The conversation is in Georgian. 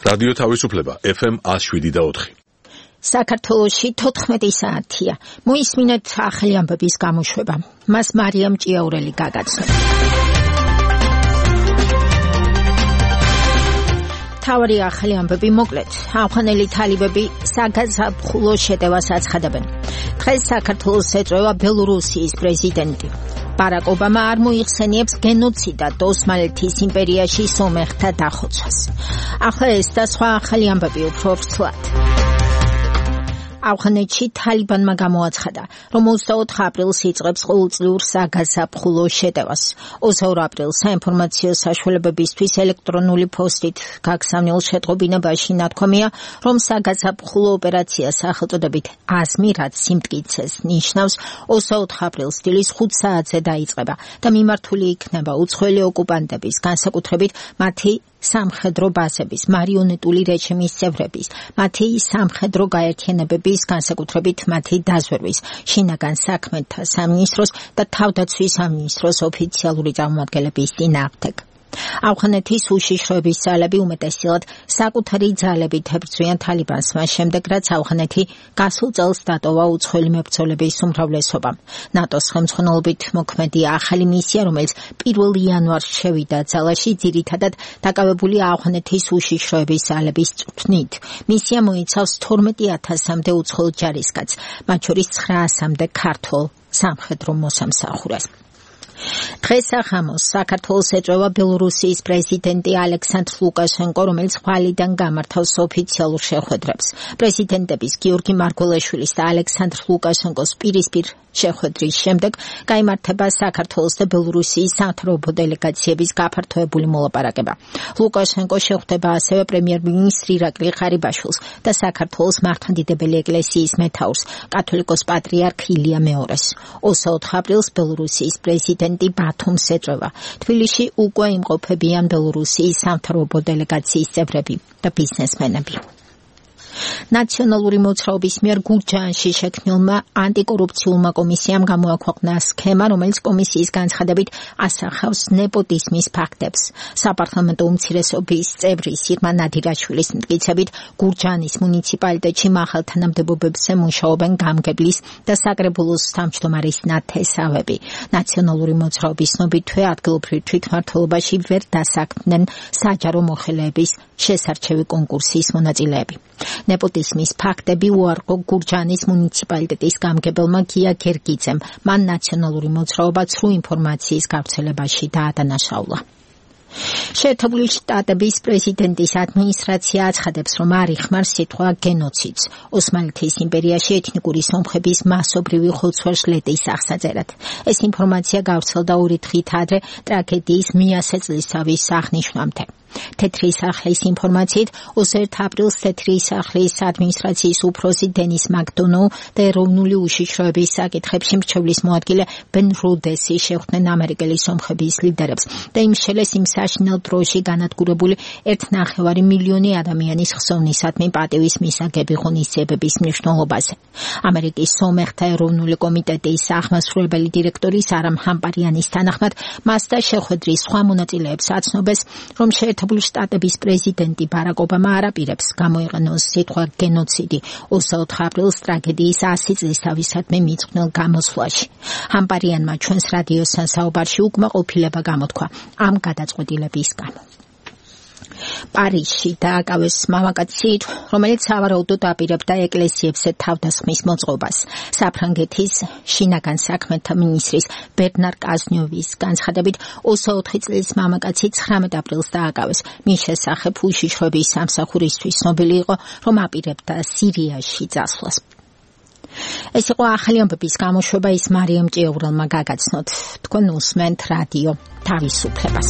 რადიო თავისუფლება FM 107.4. საქართველოში 14 საათია. მოისმინეთ ახალი ამბების გამოშვება. მას მარიამ ჭიაურელი გაგაცნო. თავი ახალი ამბები მოკლედ. ავღანელი თალიბები საგაზაფხულო შეტევას აცხადებენ. დღეს საქართველოს ეწევა ბელორუსიის პრეზიდენტი. ბარაკ ობამა არ მოიხსენიებს გენოციდად ოსმალეთის იმპერიაში სომეხთა დახოცვას. ახლა ეს და სხვა ახალი ამბები უფრო ვრცლად. ავღანეთში თალიბანმა გამოაცხადა, რომ 24 აპრილს იწყებს ყოველწლიურ საგაზაფხულო შეტევას. 22 აპრილს საინფორმაციო საშუალებებისთვის ელექტრონული პოსტით გაგზავნილ შეტყობინებაში ნათქვამია, რომ საგაზაფხულო ოპერაცია სახელწოდებით აზმი, რაც სიმტკიცეს ნიშნავს, 24 აპრილს დილის 5 საათზე დაიწყება და მიმართული იქნება უცხოელი ოკუპანტების, განსაკუთრებით მათი სამხედრო ბაზების, მარიონეტული რეჟიმის წევრების, მათი სამხედრო გაერთიანებების, განსაკუთრებით მათი დაზვერვის, შინაგან საქმეთა სამინისტროს და თავდაცვის სამინისტროს ოფიციალური წარმომადგენლების წინააღმდეგ. ავღანეთის უშიშროების ძალები უმეტესწილად საკუთარი ძალებით ებრძვიან თალიბანს, მას შემდეგ, რაც ავღანეთი გასულ წელს დატოვა უცხოელი მებრძოლების უმრავლესობამ. ნატოს ხელმძღვანელობით მოქმედი ახალი მისია, რომელიც 1 იანვარს შევიდა ძალაში, ძირითადად დაკავებულია ავღანეთის უშიშროების ძალების წვრთნით. მისია მოიცავს 12,000-მდე უცხოელ ჯარისკაცს, მათ შორის 900-მდე ქართველ სამხედრო მოსამსახურეს. დღეს ახამოს საქართველოს ეწევა ბელორუსიის პრეზიდენტი ალექსანდრ ლუკაშენკო, რომელიც ხვალიდან გამართავს ოფიციალურ შეხვედრებს. პრეზიდენტების გიორგი მარგველაშვილის და ალექსანდრ ლუკაშენკოს პირისპირ შეხვედრის შემდეგ გაიმართება საქართველოს და ბელორუსიის სამთავრობო დელეგაციების გაფართოებული მოლაპარაკება. ლუკაშენკო შეხვდება ასევე პრემიერ-მინისტრ ირაკლი ღარიბაშვილს და საქართველოს მართლმადიდებელი ეკლესიის მეთაურს, კათოლიკოს პატრიარქ ილია მეორეს. 24 აპრილს ბელორუსიის პრეზიდენტი ბათუმს ეწევა. თბილისში უკვე იმყოფებიან ბელორუსიის სამთავრობო დელეგაციის წევრები და ბიზნესმენები. ნაციონალური მოძრაობის მიერ გურჯაანში შექმნილმა ანტიკორუფციულმა კომისიამ გამოაქვეყნა სქემა, რომელიც კომისიის განცხადებით ასახავს ნეპოტიზმის ფაქტებს. საპარლამენტო უმცირესობის წევრი სირმა ნადირაშვილის მტკიცებით, გურჯაანის მუნიციპალიტეტში მაღალთანამდებობებზე მუშაობენ გამგებლის და საკრებულოს თავმჯდომარის ნათესავები. ნაციონალური მოძრაობის ცნობითვე ადგილობრივ თვითმმართველობაში ვერ დასაქმდნენ საჯარო მოხელეების შესარჩევი კონკურსის მონაწილეები. ნეპოტიზმის ფაქტები უარყო გურჯაანის მუნიციპალიტეტის გამგებელმა გია გერგიძემ. მან ნაციონალური მოძრაობა ცრუ ინფორმაციის გავრცელებაში დაადანაშაულა. შეერთებული შტატების პრეზიდენტის ადმინისტრაცია აცხადებს, რომ არ იხმარს სიტყვა გენოციდს ოსმალეთის იმპერიაში ეთნიკური სომხების მასობრივი ხოცვა-ჟლეტის აღსაწერად. ეს ინფორმაცია გავრცელდა 2 დღით ადრე ტრაგედიის მე-100 წლისთავის აღნიშვნამდე. თეთრი სახლის ინფორმაციით 21 აპრილს თეთრი სახლის ადმინისტრაციის უფროსი დენის მაკდონოუ და ეროვნული უშიშროების საკითხებში მრჩევლის მოადგილე ბენ როდესი შეხვდნენ ამერიკელი სომხების ლიდერებს და იმშელეს იმ საშინელ დროში განადგურებული 1,5 მილიონი ადამიანის ხსოვნისადმი პატივის მისაგები ღონისძიებების მნიშვნელობაზე. ამერიკის სომეხთა ეროვნული კომიტეტის აღმასრულებელი დირექტორი სარა მჰამპარიანის თანახმად, მას და შეხვედრის სხვა მონაწილეებს აცნობეს, რომ შეერთებული შტატების პრეზიდენტი ბარაკ ობამა არ აპირებს გამოიყენოს სიტყვა გენოციდი 24 აპრილს ტრაგედიის 100 წლისთავისადმი მიწყვნილ გამოსვლაში. ჰამპარიანმა ჩვენს რადიოსთან საუბარში უკმაყოფილება გამოთქვა ამ გადაწყვეტილების გამო. პარიზში დააკავეს მამაკაცი, რომელიც სავარაუდოდ აპირებდა ეკლესიებზე თავდასხმის მოწყობას. საფრანგეთის შინაგან საქმეთა მინისტრის ბერნარ კაზნიოვის განცხადებით, 24 წლის მამაკაცი 19 აპრილს დააკავეს. მის შესახებ უშიშროების სამსახურისთვის ცნობილი იყო, რომ აპირებდა სირიაში წასვლას. ეს იყო ახალი ამბების გამოშვება, ის მარიამ ჭიაურელმა გაგაცნოთ. თქვენ უსმენთ რადიო თავისუფლებას.